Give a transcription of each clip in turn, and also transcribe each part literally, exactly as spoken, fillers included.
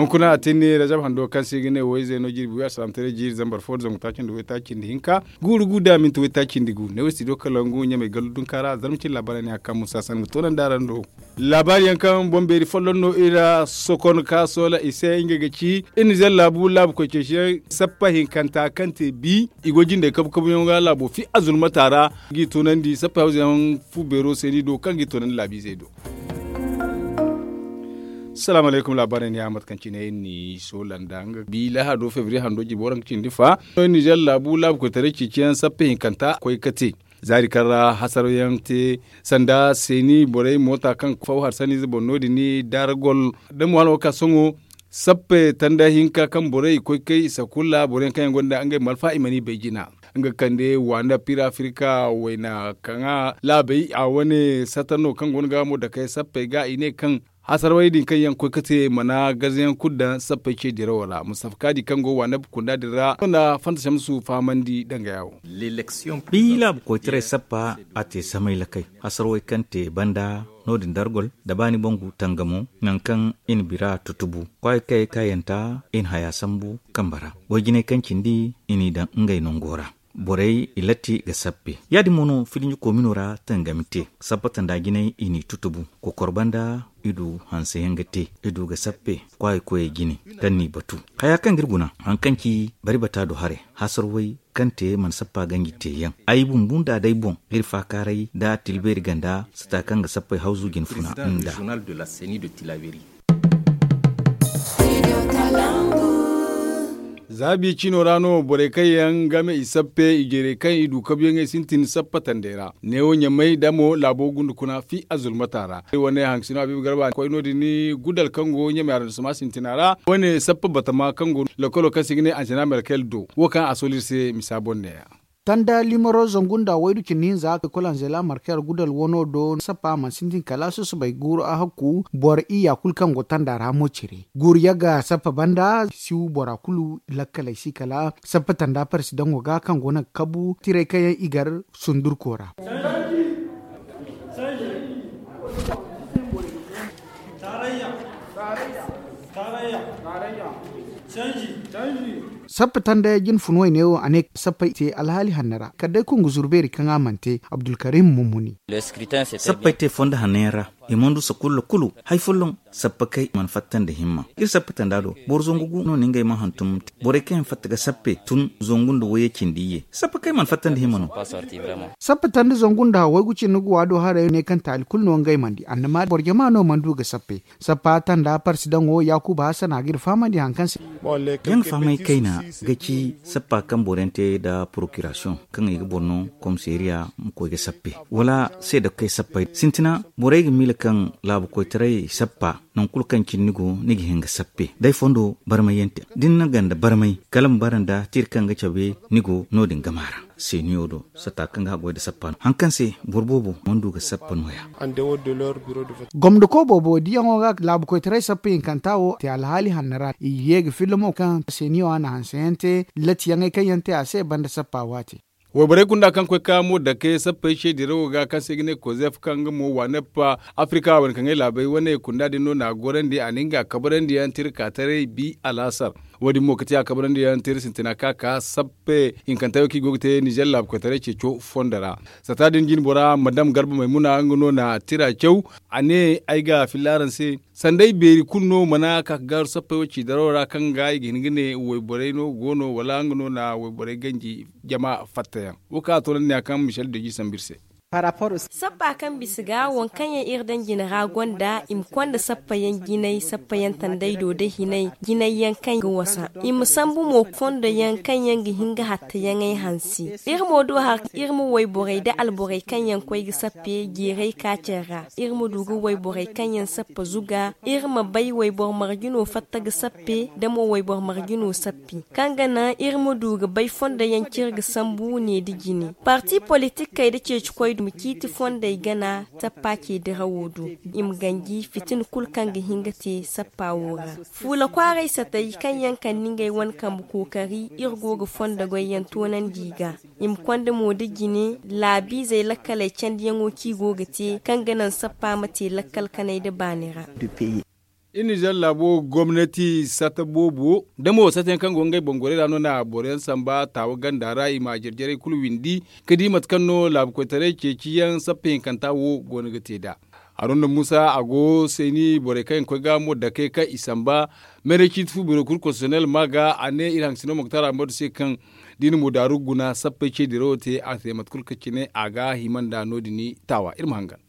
Hunkuna a tinni razab hando kaŋ se i ga ne wo-ize no jirbi wi alsalamtaray jiiri zambar fo da zangu taaci nda waytaaci nda hinka, guuru gu da minti waytaaci nda gu ne wo studio kalangu ɲamay gallu dunka ra zarma cine laabaarey ne a kaŋ musa san ga toonandi araŋ do. Laabaari yaŋ kaŋ boŋ beeri folloŋ no iri ra sokon ka soola i se nga ga ci iri nizer laabu laabu koy ceeciyaŋ sappa hinkanta kaŋ te bi i go jindey kabu kabu yaŋo ga laabo fi azulmata ra, g'i toonandi sappa hawza yaŋ fu beero se ni do kaŋ g'i toonandi laabiizey do. Salaamu alaykum laabaarey ne a mate kaŋ cine iri n'i soola nda nga bi lahado febriye hando jibo ra nga cindi fa. Nizer laabu laabu koytaray ceeciyaŋ sappa hinkanta koy ka te zaari kaŋ ra hasaraw yaŋ te sanda seeni borey moota kaŋ faw hari sanniize boŋ no- din ni daaragol da mo hala wo ka sohõ sappe tanda hinka kaŋ borey i koy kay i sakulla boro yaŋ kaŋ yaŋ gonda ngey malfa i mana i bay jina nga kande waana pir afirika wayna kaŋa laabey a wane satar no kaŋ go no ga mo dakey sappey ga i ne kaŋ hasarawey din kaŋ yaŋ koy ka te mana gazayaŋ kulu daŋ sappey ce dirawo ra mustafa kaadi kaŋ go waana kunda din ra no na fanta shamsu fahamandi danga yawo. Bi laabu koytaray sappa a te samay lakay hasarawey kaŋ te banda no- din dargol da baani bangu tangamo nangu kaŋ i na bira tutubu kwaayi kayey kaayanta i na haya sambu kambe ra. Goy jinay kaŋ cindi i n'i daŋ ngey nango ra. Borey i latti ga sappe ya- din mo no filinji koomino ra tangami te sappa tanda jinay i n'i tutubu kokor banda i du hanseyaŋ ga te i du ga sappe kwaayi koyey jine kaŋ n'i batu haya kaŋ ga iri guna hari kaŋ ci bari bata do haray hasarwey kaŋ te mana sappa ganji teeyaŋ ay bumbu nda day boŋ iri faakaaray da tilbeeri ganda sata kaŋ ga sappey hawzu jine funa nda. Za biya ciino ra no borey kaŋ yaŋ game i sappe i jeerey kaŋ i du kabuyaŋey sintin sappa tandey ra neewo ɲamay da mo laabo gunda kuna fi azulmata ra iri wane haŋ sino habiibu garba koy no- din ni gudal kaŋ go ɲamay arrondissement sintina ra wane sappa batama kaŋ go lokolo kaŋ se i ga ne anzena merkel do wo kaŋ a sooli iri se misa boŋ neeya. Tanda limaro zangu nda waydu cindi hinza ekol anzela marker gudal wano do sappa a mana sintin kala susubay guuru a hakku boro iyya kulu kaŋ go tanda ra mo cire guuru yagga sappa banda siwu bora kulu lakkaley si kala sappa tanda parsi daŋo ga kaŋ go no ga kabu tirey kaŋ yaŋ i gar sundurko ra. Sappa tanda jine fun wayne wo a ne sappa te alhaali hanno ra kala day kungu zuru beeri kaŋ a mana te abdulkarim mummuni. Sappa ay te fondo hanno yaŋ ra i mana du sakulla kulu hari folloŋ sappa kay mana fatta nda himma iri sappa tanda do boro zangu gu no na ngey ma hantum borey kaŋ yaŋ fatta ga sappe tun zangu nda wayye cindi iyye sappa kay mana fatta nda himma no. Sappa tanda zangu nda waygu cindi guwa do haray ne kaŋ taali kulu no ngey mana di annama boro jama no mana du ga sappe sappa tanda parsi daŋo yaakuba hasana ga iri fahamandi hari kaŋ se. Yaŋ fahamay kayna ga ci sappa kaŋ boro yaŋ te nda porokirasiyoŋ kaŋ i ga boro no komiseeriya ma koy ga sappe wala seeda kay sappey sintina borey ga miila kaŋ laabu koytaray sappa nangu kulu kaŋ cine ni go ni ga hin ga sappe day fondo barmay yaŋ te da ni na ganda barmay kala ma bara nda tira kaŋ ga cabe ni go no- din gama ra seeniyo do sata kaŋ ga haggoy nda sappa no hari kaŋ se boro boobo mana du ga sappa nooya. Gomdako boobo diyaŋo ga laabu koytaray sappa hinkanta wo te alhaali hanno ra i ye ga filla mo kaŋ seeniyo a na hanseyaŋ te latiyaŋey kaŋ yaŋ te a se banda sappa waate. Wayborey kunda kaŋ koy ka mo dake sappey se dirawo ga kaŋ se i ga ne kozef kaŋ nga mo waanep afirika wane kaŋ ay laabey wane kunda din no na a gorandi a na nga kabarandiyaŋ tira ka taray bi alaasar. Wo- din mo ga te a kabarandiyaŋ tira sintina ka ka sappe hinkantey wo kaŋ i go ga te nizer laabu koytaray ceeco fondo ra. Sata din jine bora madam garba maymuna nga no na tira caw a ne ay ga filla araŋ se sanda ay beeri kulu no mana ka ga gaaru sappey wo ci daraw ra kaŋ ga i ga hin ga ne wayborey no go no wala nga no na wayborey ganji jama fattayaŋ wo kaŋ a toonandi ne ya kaŋ michel deji sambu iri se. Sappa kaŋ bisa ga waŋ kaŋ yaŋ iri daŋ jine ra gonda i ma konda sappayaŋ jinay sappayaŋ tanday do da hinay jinay yaŋ kaŋ ga wasa i ma sambu mo fondo yaŋ kaŋ yaŋ ga hin ga hattayaŋey hanse. Iri mo du hari kaŋ iri ma wayborey da alborey kaŋ yaŋ koy ga sappe jeeray kaace ra iri ma du ga wayborey kaŋ yaŋ sappa zuga iri ma bay wayboro marjino fatta ga sappe da mo wayboro marjino sappi kaŋ ga naŋ iri ma du ga bay fondo yaŋ kaŋ iri ga sambu ne da jine parti politikey da ceecikoy ma ciiti fondey gana sappa ce dirawo do i ma ganji fitina kulu kaŋ ga hin ga te sappa wo ra. Fuula kwaaray satey kaŋ yaŋ kande ngey wane kambe kookari iri go ga fondo goyyaŋ toonandi i ga i ma konda mo da jine laabiizey lakkaley candiyaŋo kaŋ i go ga te kaŋ ga naŋ sappa ma te lakkal kanay nda baani ra. Iri nizer laabo gomnati sata boobo da mo sata yaŋ kaŋ go ngey boŋ gorey ra no na boro yaŋ samba taawa ganda ra i ma jare jarey kulu windi ka di mate kaŋ no laabu koytaray ceeci yaŋ sappa hinkanta wo go no ga te nd'a. Haruna muusa a go seeni borey kaŋ yaŋ ga koy ga mo dakey kaŋ i samba meeray ciiti fu biro kulu konsesiyonel ma ga a ne iri hangasino moktar amadu se kaŋ da i na mo daaru guna sappey ce dirawo te a se mate kulu kaŋ cine a ga hima nd'a no- din taawa iri ma hangan.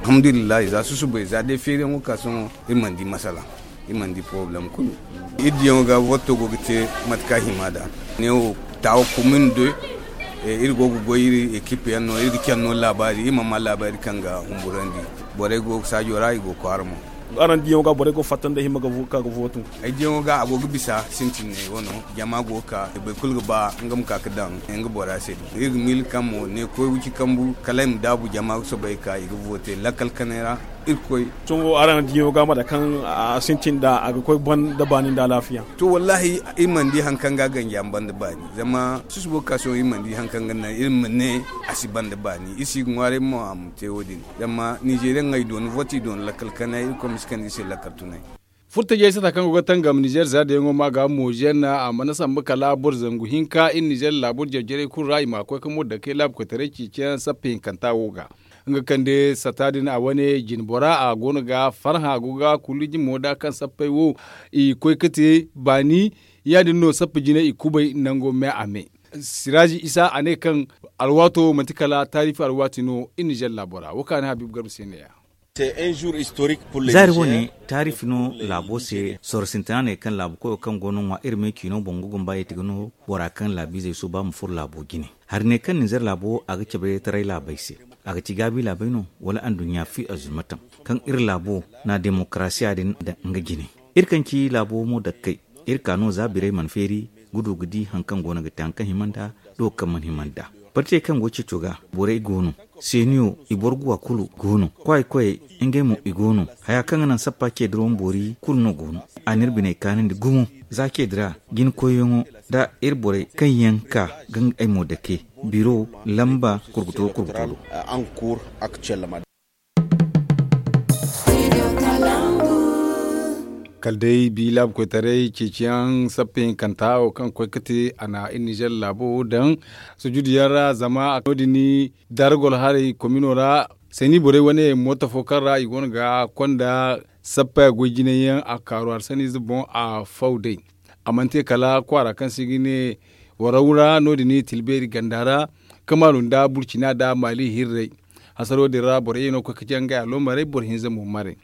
Alhamdulillahi za susubay za day feeriyaŋo ka sohõ iri mana di masala. Iri mana di porobalem kulu. Iri diyaŋo ga watto go ga te mate kaŋ a hima nd'a. Neewo taawa komin de. Iri go ga goy iri ekip yaŋ no iri ga care no laabaari iri mana ma laabaari kaŋ ga humburandi. Borey go ga saajo ra i go ga kwaara mo. Araŋ diyaŋo ga borey go ga fatta nda hima ga ka ga vootu. Ay diyaŋo ga a go ga bisa sintin ne wano jama go ga ka boro kulu ga ba nga ma ka ga daŋ nga bora se. Iri ga miila kaŋ mo ne koy wiki kambu kala ay ma daabu jama ga soobay ga ka i ga voote lakkal kanay ra. Irkoy. Sohõ araŋ diyaŋo ga mate kaŋ a sintin nd'a a ga koy banda baani nda alaafiya. To wallahi iri mana di hari kaŋ ga a ganji a ma banda baani zama susubo ga ka sohõ iri mana di hari kaŋ ga naŋ iri ma ne a si banda baani iri si ga ŋwaaray mo a ma te wo- din. Zama nizeeriyaŋey dooni vooti dooni lakkal kanay irkoy ma si kande iri se lakkal tunay. Furtajey sata kaŋ go ga tangam nizer za dayaŋo ma ga mo zen a mana samba kala boro zangu hinka iri nizer laabo jare jarey kulu ra i ma koy ka mo dakey laabu koytaray ceeciyaŋ sappa hinkanta wo ga. Nga kande sata din a wane jinbora a go no ga farhã a go ga kulu jimo da kaŋ sappey wo i koy ga te baani. Ya- din no sappa jine i kubay nango me a me. Siraazi isa a ne kaŋ alwaato manti kala taarifi alwaati no iri nizer laabo ra wo kaŋ a ne habiibu garba se ne- ya. Zaari wo- ne taarifi no laabo se sorro sintina ne kaŋ laabu koyo kaŋ go no ŋwa iri me ciino boŋ ga gumba i ti ga no bora kaŋ laabiizey suuba ma furo laabo jine. Hari ne kaŋ ninzeer laabo a ga cabe taray laabey se a ga ti gaabi laabey no wala anduɲɲa fi azulmatam kaŋ iri laabo na demokarasiya din daŋ nga jine. Iri kaŋ ci laabo mo dakkey iri ka no za birey mana feeri ga du ga di hari kaŋ go no ga te hari kaŋ hima nd'a do kaŋ mana hima nd'a. Partiyey kaŋ go ceeco ga borey go no. Seeniyo i boro guwa kulu go no kwaay koyey ngey mo i go no. Haya kaŋ ga naŋ sappa ceedirawo boori kulu no go no. A na iri biney kaanandi gumo za ceedira jina koyyaŋo nda iri borey kaŋ yaŋ ka ga ngey mo dake biro lamba kurkuto kurkuto do. Kala day bi laabu koytaray ceeciyaŋ sappa hinkanta wo kaŋ ga koy ga te a na iri nizer laabo wo daŋ sujudu yaŋ ra zama a no- din dargol haray komino ra. Sani borey wane mooto fo kaŋ ra i go no ga konda sappa goy jinay yaŋ a kaaru harsaniize boŋ a faw day. A mana te kala kwaara kaŋ se i ga ne waraw ra no- din tilbeeri ganda ra kamaalu nda burcina nda maali hirray. Hasaro din ra borey no ga koy ga jaŋ ngey allo maray boro hinza mo maray.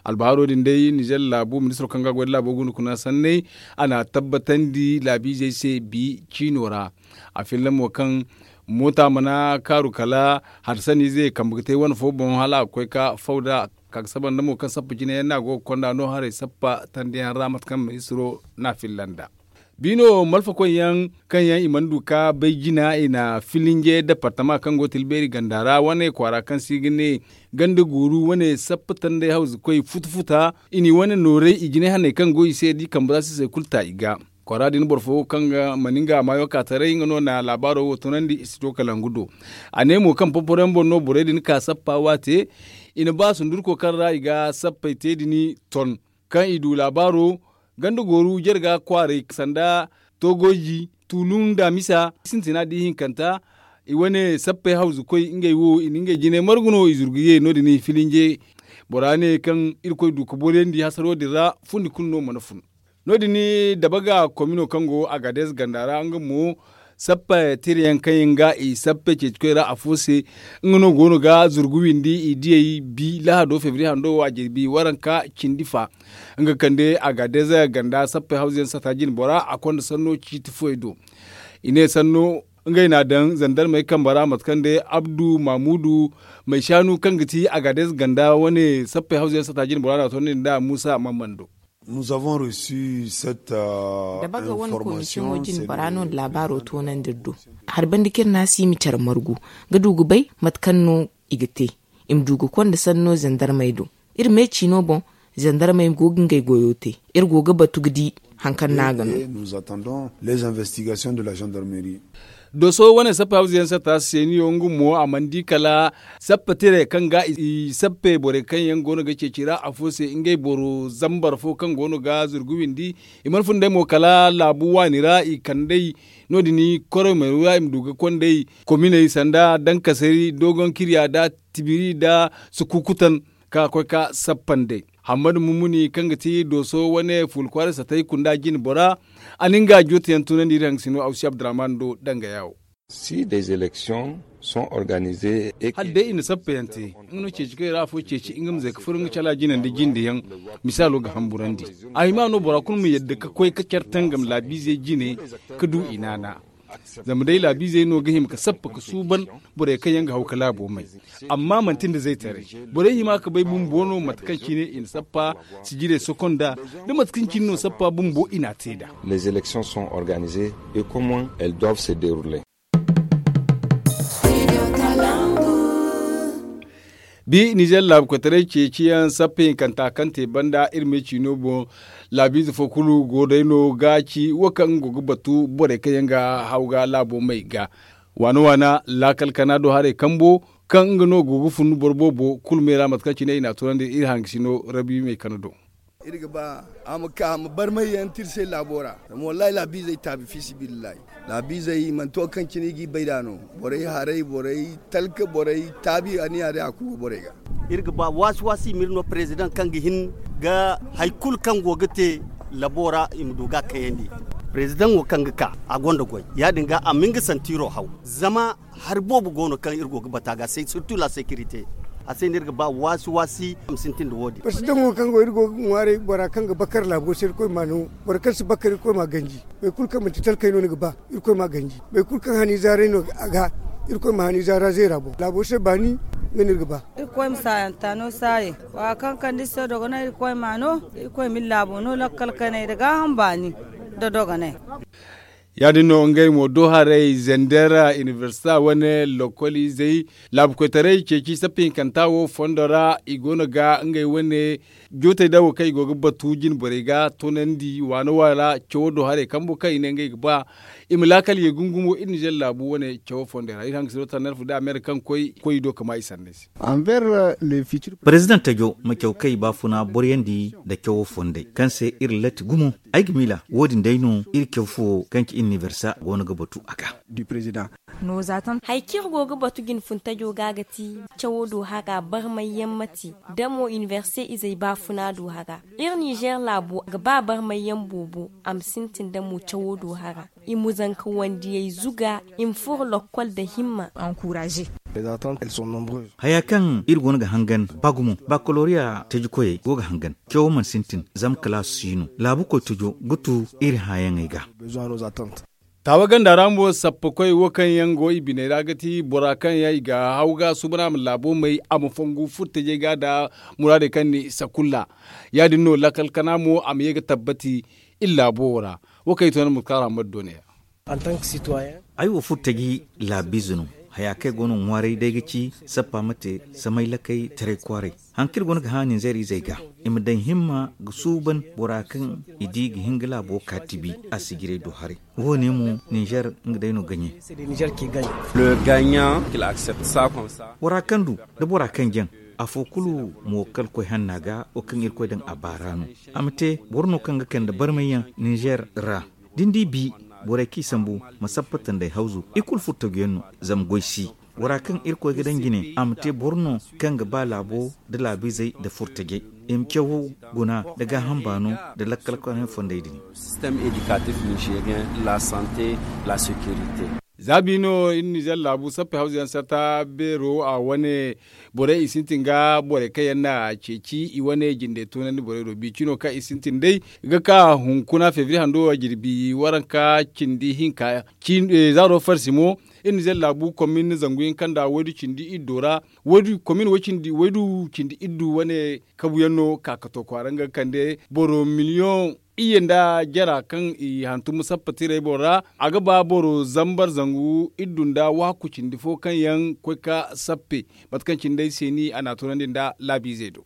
Albahaaro din day nizer laabu ministiro kaŋ ga goy nda laabo guna kuna sanney a na a tabbatandi laabiizey se bi ciino ra. A filla mo kaŋ moota mana kaaru kala harsaniize kambe ga te wane fo boŋ hala a ga koy ga faw nd'a. Ka ga saba nda mo kaŋ sappa jine yaŋ no a go ga konda no haray sappa tandiyaŋ ra mate kaŋ ministiro no a filla nd'a. Bi no malfakoy yaŋ kaŋ yaŋ i mana du ga bay jina i na filinje departama kaŋ go tilbeeri ganda ra wane kwaara kaŋ se i ga ne ganda gooru wane sappa tanday hawzukoy futa futa. I na i wane nooray i jinay haney kaŋ go i se da i kambe ra sisay kulu ta i ga. Kwaara din boro fo kaŋ mana nga maayo ka taray nga no na laabaaro wo tunandi i si to kala ngu do. A ne mo kaŋ porporo yaŋ boŋ no borey din ka sappa waate. I na ba sundurko kaŋ ra i ga sappey te din ton kaŋ i du laabaaro ganda gooru jarga kwaaray sanda togoji, tulun nda misa sintina da ihinkanta. I wane sappey hawzukoy ngey wo i na ngey jinay margu no i zurgu ye no- din i filinje. Bora ne kaŋ irkoy du ga booriyandi hasaro din ra fundi kulu no mana fun. No- din dabaga komino kaŋ go agades ganda ra nga mo sappe tirayaŋ kaŋ yaŋ ga i sappe ceecikoy ra afo se. Nga no go no ga zurgu windi i diyey bi lahado febriye hando wo a jirbi waranka cindi fa. Nga kande agadez ganda sappe hawzuyaŋ sata jine bora a konda sanno ciiti foyey do. I ne sanno ngey n'a daŋ zandarmey kambe ra mate kaŋ day abdu mamudu, may shaanu kaŋ ga ti agadez ganda wane sappe hawzuyaŋ sata jine bora n'a tondandi nda muusa mamman do. Dabaga wane komisiyoŋo jine bora no na laabaaro toonandi iri do. Hari banda kaŋ iri n'a si i ma care margu ga du ga bay mate kaŋ no i ga te. I ma du ga konda sanno zandarmey do. Iri me ciino boŋ zandarmey go ga ngey goyo te. Iri go ga batu ga di hari kaŋ no a ga no. Dooso wane sappe hawza yaŋ satta seeniyo nga mo a mana di kala sappe tire kaŋ ga i sappe borey kaŋ yaŋ go no ga ceeci ra afo se ngey boro zambar fo kaŋ go no ga zurgu windi. I mana fun day mo kala laabu waani ra i kand'ey no- din koray meeru ra i ma du ga konday kominey sanda dankasari dogon kirya nda tibiri nda sukukutan ka koy ka sappandey. Hammadu mummuni kaŋ ga ti dooso wane fuula kwaaray satay kunda jine bora a na nga joote yaŋ tunandi iri haŋ ga sino awsi abdurrahman do danga yaawo. Si des élections sont organisées et hala day i na sappa yaŋ te nga no ceeci kaŋ i ra afo ceeci nga ma zay ga furo nga cala jine nda jinde yaŋ. Misaalo ga hamburandi a hima no bora kulu ma yadda ga koy ga care tangam laabiizey jine ga du i naana. Zama day laabiizey no ga hima ga sappa ga suuban borey kaŋ yaŋ ga haw ga laabo may. Amma manti nda zaytaray. Borey hima ga bay bumbo no mate kaŋ cine i na sappa sijirey sokonda da mate kaŋ cine no sappa bumbo i n'a te nd'a. Les élections sont organisées et comment elles doivent se dérouler. Bi nizer laabu koytaray ceeciyaŋ sappa hinkanta kaŋ te banda iri ma ay ciino boŋ. Laabiize fo kulu go day no ga ci wo kaŋ nga go ga batu borey kaŋ yaŋ ga haw ga laabo may ga waana waana laakal kana do haray kambo kaŋ nga no go ga fun boro boobo kulu me ra mate kaŋ cine i n'a tunandi iri hangasino rabi may kana do. Iri ga ba a ma ka a ma barmay yaŋ tirsay laabo ra. Zama wallahi laabiizey taabi fiisabilillahi. Laabiizey manti wo kaŋ cine i g'i bay nd'a no. Borey haray borey talka borey taabi aniya day a kulu go borey ga. Iri ga ba waasi waasi i ma iri no parezidaŋ kaŋ ga hin ga hari kulu kaŋ go ga te labo ra i ma du ga a kayandi. Parezidaŋ wo kaŋ ga ka a gonda goy ya- din ga a ma nga santiro haw. Zama hari boobo go no kaŋ iri go ga bata ga se sirtu la sekirite. A se no iri ga ba waasi waasi a ma sintin nda wo- din. Parezidaŋo kaŋ go iri go ga ŋwaaray bora kaŋ ga bakar laabo se irkoy m'a no. Boro kaŋ si bakar irkoy m'a ganji. Boro kulu kaŋ manti talkey no ni ga ba irkoy m'a ganji. Boro kulu kaŋ hani zaaray no a ga irkoy ma hani zaara zeera boŋ laabo se baani. Nga no iri ga ba. Irkoy ma saayanta no saaye. Wa kaŋ kande iri se dogonay irkoy m'a no. Irkoy ma iri laabo no lakkal kanay nda gaaham baani nda dogonay. Ya- din no ngey mo do haray zender inibersita wane lokoliizey laabu koytaray ceeci sappa hinkanta wo fondo ra i go no ga ngey wane jootey da wo kaŋ i go ga batu jine borey ga toonandi waana waana cawo do haray kambo kaŋ i ne ngey ga ba. I ma laakal ye gungumo iri nizer laabu wane cawo fondey ra iri hangasino tanner fu da a meera kaŋ koy i do ga ma i sanney se. Parezidaŋ tajo ma caw kay baafuna boroyandi nda cawo fondey kaŋ se iri latti gumo. Ay ga miila wo- din day no iri caw fuwo kaŋ ci inibersa go no ga batu a ga. Hari kaŋ iri go ga batu jine fun tajo ga ga ti cawo do hara barmay yaŋ ma te da mo iniberse izey baafuna do hara. Iri nizer laabo ga ba barmay yaŋ boobo a ma sintin da mo cawo do hara. I ma zanka wandiyey zuga i ma furo lokkol nda himma. Haya kaŋ iri go no ga hangan ba gumo bakaloriya tajikoyey go ga hangan. Cawo mana sintin zama kalaasu si no laabukoy tajo ga tu iri hããyaŋey ga. Taawa ganda ra mo sappakoy wo kaŋ yaŋ go i biney ra ga ti bora kaŋ yaŋ i ga haw ga suuban a ma laabo may a ma fongu furtajey ga nda muraadey kaŋ ni sakulla. Ya- din no lakkal kana mo a ma ye ga tabbati iri laabo wo ra. Wo kaŋ i to na mutkar hammad do ne ya. Ay wo furtaji laabiize no. Haya kaŋ ay go no ŋwaaray day ga ci sappa ma te samay lakay taray kwaaray. Haŋ kaŋ iri go no ga hã ninzeer izey ga i ma daŋ himma ga suuban bora kaŋ i di ga hin ga laabo ka tibi a sijirey do haray. Wo- ne mo ninzeer nga day no gaɲe. Bora kaŋ du nda bora kaŋ jaŋ afo kulu mo kala koy hanna ga wo kaŋ irkoy daŋ a baara no. A ma te boro no kaŋ ga kande barmay yaŋ ninzeer ra. Da ni di bi borey kaŋ i sambu ma sappa tanday hawzu i kulu furtaguyaŋ no. Zama goy si bora kaŋ irkoy ga daŋ jine a ma te boro no kaŋ ga ba laabo nda laabiizey nda furtajey i ma cawo guna nda gaaham baano nda lakkal kaŋ fondey din. Za bi no iri nizer laabu sappe hawza yaŋ sarta beero a wane borey i sintin ga borey kaŋ yaŋ na ceeci i wane jinde tunandi borey do bi cino kaŋ i sintin day ga ka hunkuna febri hando jirbi waranka cindi hinka. Zaaro farsi mo iri nizer laabu komin zangu hinka nda waydu cindi iddo ra. Waydu komin waydu cindi iddu wane kabuyaŋ no ka ka to kwaara nga ga kande boro miliyoŋ iyye nda jara kaŋ i hantum sappa tirey boŋ ra. A ga ba boro zambar zangu iddu nda waaku cindi fo kaŋ yaŋ koy ka sappe mate kaŋ cine day seeni a n'a tunandi nda laabiizey do.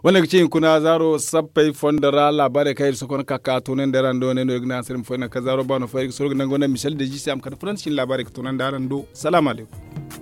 Wane ga ci hinkuna zaaro sappey fondo ra laabaarey kaŋ iri sohõ ka ka toonandi araŋ do ne no iri ga naŋ araŋ se iri ma fo naŋ kaŋ zaaro ba no fo iri ga soro ga naŋ gonda michel de jisi a ma kande faransi cine laabaarey ga toonandi araŋ do. Salaamu aleykum.